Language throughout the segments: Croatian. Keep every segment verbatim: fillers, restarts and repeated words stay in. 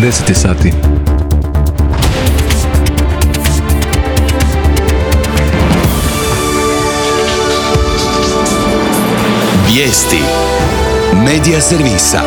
deset je sati. Vijesti Medija servisa.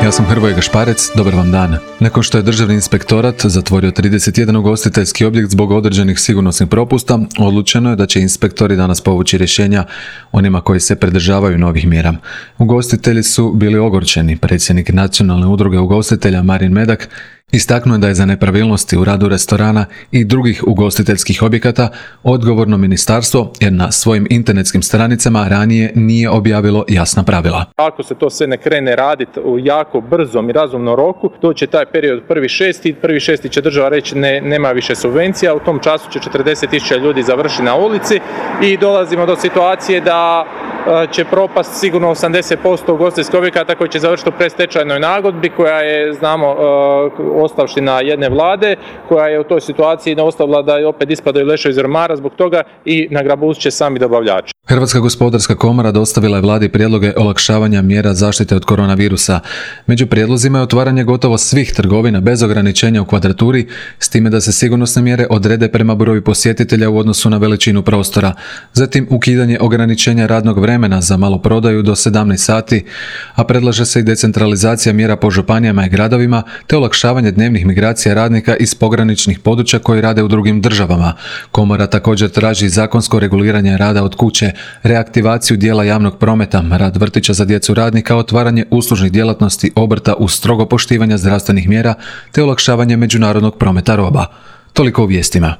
Ja sam Hrvoje Gašparec, dobar vam dan. Nakon što je Državni inspektorat zatvorio trideset jedan ugostiteljski objekt zbog određenih sigurnosnih propusta, odlučeno je da će inspektori danas povući rješenja onima koji se pridržavaju novih mjera. Ugostitelji su bili ogorčeni. Predsjednik Nacionalne udruge ugostitelja Marin Medak istaknuo je da je za nepravilnosti u radu restorana i drugih ugostiteljskih objekata odgovorno ministarstvo, jer na svojim internetskim stranicama ranije nije objavilo jasna pravila. Ako se to sve ne krene raditi u jako brzom i razumnom roku, to će taj period prvi šesti, prvi šesti će država reći ne, nema više subvencija, u tom času će četrdeset tisuća ljudi završiti na ulici i dolazimo do situacije da će propast sigurno osamdeset posto ugostiteljskih objekata koji će završiti u predstečajnoj nagodbi, koja je, znamo, ostavština jedne vlade, koja je u toj situaciji ostavila da opet ispadaju leševi iz ormara zbog toga i nagrabuzit će sami dobavljači. Hrvatska gospodarska komora dostavila je vladi prijedloge olakšavanja mjera zaštite od koronavirusa. Među prijedlozima je otvaranje gotovo svih trgovina bez ograničenja u kvadraturi, s time da se sigurnosne mjere odrede prema broju posjetitelja u odnosu na veličinu prostora. Zatim ukidanje ograničenja radnog vremena za maloprodaju do sedamnaest sati, a predlaže se i decentralizacija mjera po županijama i gradovima, te olakšavanje dnevnih migracija radnika iz pograničnih područja koji rade u drugim državama. Komora također traži zakonsko reguliranje rada od kuće, reaktivaciju dijela javnog prometa, rad vrtića za djecu radnika, otvaranje uslužnih djelatnosti obrta uz strogo poštivanje zdravstvenih mjera te olakšavanje međunarodnog prometa roba. Toliko u vijestima.